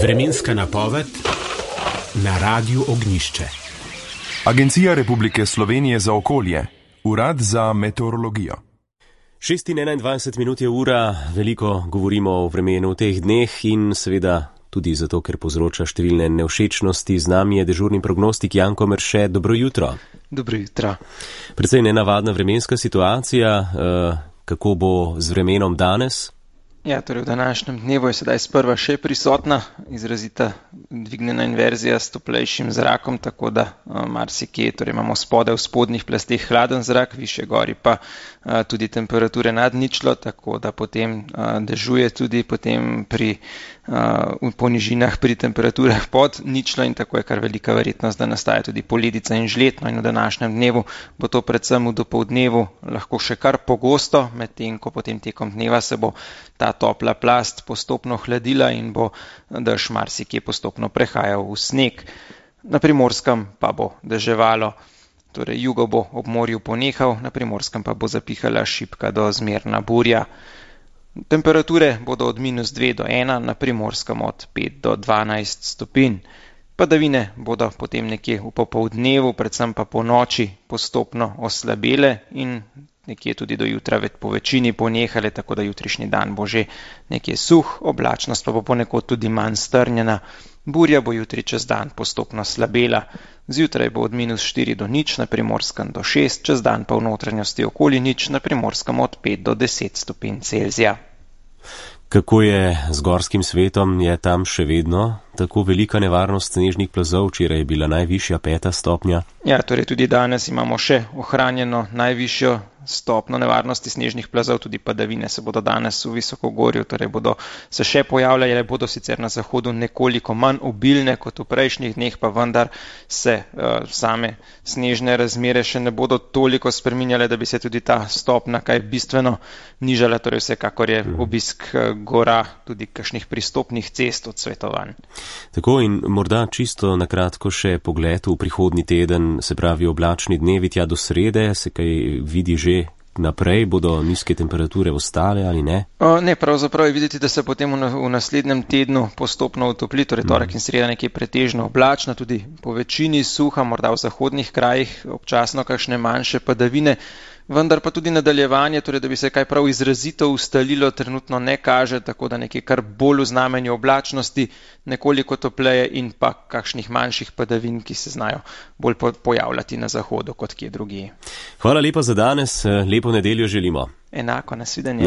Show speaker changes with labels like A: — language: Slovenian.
A: Vremenska napoved na Radiu Ognjišče.
B: Agencija Republike Slovenije za okolje, Urad za meteorologijo.
C: 6:21 je ura, veliko govorimo o vremenu v teh dneh in seveda tudi zato, ker povzroča številne nevšečnosti. Z nami je dežurni prognostik Janko Merše. Dobro jutro.
D: Dobro jutro.
C: Precej nenavadna vremenska situacija. Kako bo z vremenom danes?
D: Ja, torej v današnjem dnevu je sedaj sprva še prisotna izrazita dvignjena inverzija s toplejšim zrakom, tako da marsikje, torej imamo spodaj v spodnjih plasteh hladen zrak, višje gori pa tudi temperature nad ničlo, tako da potem dežuje tudi potem po nižinah pri temperaturah pod ničlo in tako je kar velika verjetnost, da nastaja tudi poledica in žled. No in v današnjem dnevu bo to predvsem v dopoldnevu lahko še kar pogosto, medtem ko potem tekom dneva se bo ta topla plast postopno hladila in bo dež marsikje postopno prehajal v sneg. Na Primorskem pa bo deževalo, torej jugo bo ob morju ponehal, na Primorskem pa bo zapihala šibka do zmerna burja. Temperature bodo od -2 do 1, na Primorskem od 5 do 12 stopinj. Padavine bodo potem nekje v popoldnevu, predvsem pa po noči postopno oslabele in nekje tudi do jutra po večini ponehale, tako da jutrišnji dan bo že nekje suh, oblačnost pa bo ponekod tudi manj strnjena. Burja bo jutri čez dan postopno slabela. Zjutraj bo od -4 do 0, na Primorskem do 6, čez dan pa v notranjosti okoli 0, na Primorskem od 5 do 10 stopinj Celzija.
C: Kako je z gorskim svetom? Je tam še vedno tako velika nevarnost snežnih plazov? Včeraj je bila najvišja 5. stopnja.
D: Ja, torej tudi danes imamo še ohranjeno najvišjo stopno nevarnosti snežnih plazov, tudi padavine se bodo danes v visokogorju, torej bodo se še pojavljale, bodo sicer na zahodu nekoliko manj obilne kot v prejšnjih dneh, pa vendar se same snežne razmere še ne bodo toliko spreminjale, da bi se tudi ta stopna kaj bistveno nižala, torej vsekakor je obisk gora tudi kakšnih pristopnih cest odsvetovan.
C: Tako in morda čisto na kratko še pogled v prihodnji teden, se pravi oblačni dnevi tja do srede, se kaj vidi že naprej, bodo nizke temperature ostale ali ne?
D: Ne, pravzaprav je videti, da se potem v naslednjem tednu postopno utopli, torej torek in sreda nekje pretežno oblačna, tudi po večini suha, morda v zahodnih krajih občasno kakšne manjše padavine, vendar pa tudi nadaljevanje, torej da bi se kaj prav izrazito ustalilo, trenutno ne kaže, tako da nekje kar bolj v znamenju oblačnosti, nekoliko topleje in pa kakšnih manjših padavin, ki se znajo bolj pojavljati na zahodu kot kje drugje.
C: Hvala lepa za danes, lepo nedeljo želimo.
D: Enako, nasvidenje.